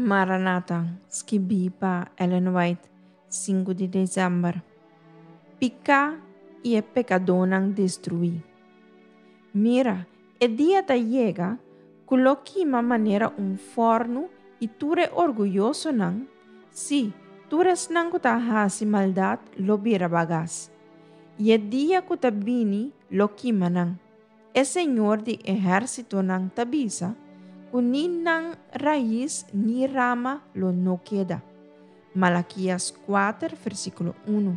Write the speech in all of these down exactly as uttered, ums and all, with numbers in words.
Maranata, skibí pa Ellen White, sinku di desèmber. Piká i e pekadónan destruí. Mira, e dia ta yega ku lo kima manera un fòrnu i tur e orguyosonan, sí, tur esnan ku ta hasi maldat lo bira bagas. I e dia ku ta bini lo kima nan. E Señor di ehérsitonan ta bisa ku ni nan rais ni rama lo no keda. Malakias kuater, versíkulo un.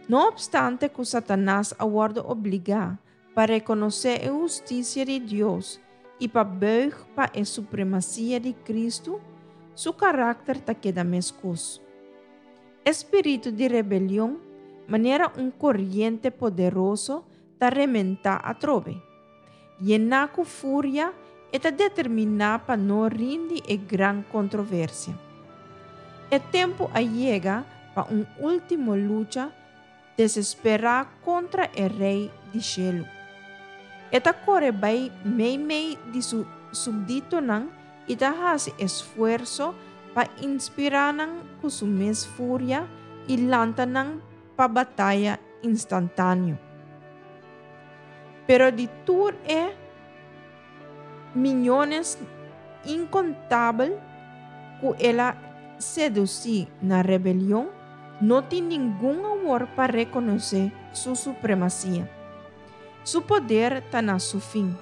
No opstante ku Satanas a wòrdu obligá pa rekonosé e hustisia di Dios i pa buig pa e supremasia di Kristu, su karakter ta keda meskos. E spiritu di rebelion, manera un koriente poderoso, ta rementá atrobe. Yená ku furia, e ta determiná pa no rindi e gran kontroversia. E tempu a yega pa un último lucha desesperá kontra e Rei di shelu. E ta kore bai meimei di su súpditonan i ta hasi esfuerso pa inspirá nan ku su mes furia i lanta nan pa bataya instantáneo. Pero di tur e miónes inkontabel ku el a sedusí na rebelion, no tin ningun awor pa rekonosé su supremasia. Su poder ta na su fin.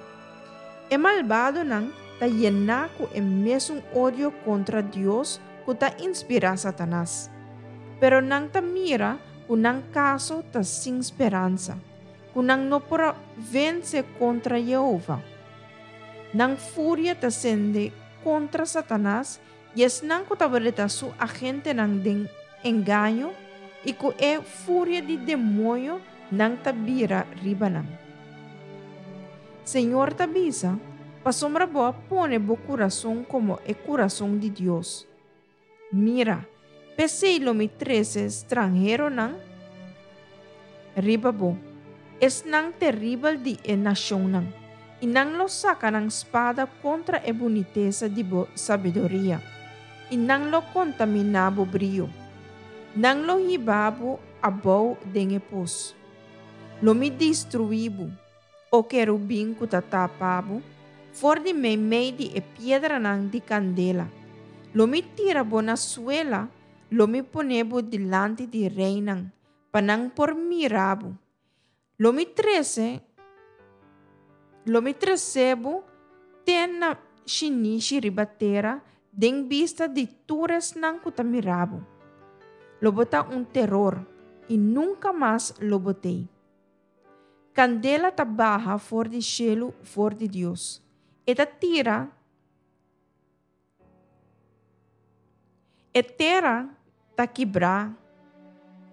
E malbadonan ta yená ku e mesun odio kontra Dios ku ta inspirá Satanas. Pero nan ta mira ku nan kaso ta sin speransa, ku nan no por vense kontra Yehova. Nan furia ta sende kontra Satanas i esnan ku tabata su agentenan den engaño i ku e furia di demoño nan ta bira riba nan. Señor ta bisa, pasobra bo a pone bo kurason komo e kurason di Dios. Mira, p'esei lo mi trese stranheronan riba bo, esnan teribel di e nashonnan, i nan lo saka nan spada kontra e bunitesa di bo sabiduria, i nan lo kontaminá bo brio. Nan lo hiba bo abou den e pos. Lo mi destruí bo, o kerubin ku ta tapa bo, for di meimei di e piedranan di kandela. Lo mi tira bo na suela, lo mi pone bo dilanti di reinan, pa nan por mira bo. Lo mi trese, lo mi trese bo te na shinishi riba tera, den bista di tur esnan ku ta mira bo. Lo bo ta un teror, i nunka mas lo bo t'ei. Kandela ta baha for di shelu for di Dios. E ta tira, e tera ta kibra,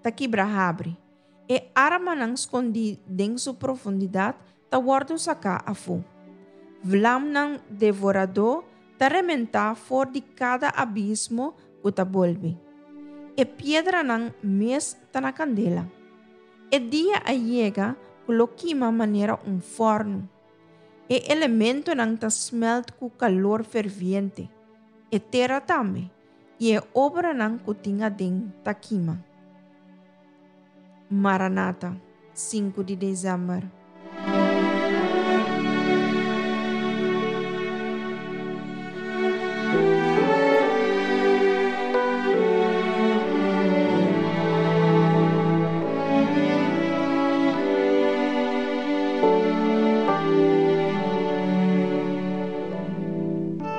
ta kibra habri. E armanan skondí den su profundidat ta wòrdu saká afó. Vlamnan devoradó ta rementá for di kada abismo ku ta bolbe. E piedranan mes ta na kandela. E dia a yega ku lo kima manera un fòrnu. E elementonan ta smèlt ku kalor ferviente. E tera tambe, i e obranan ku tin aden ta kima. Maranata, sinku di desèmber.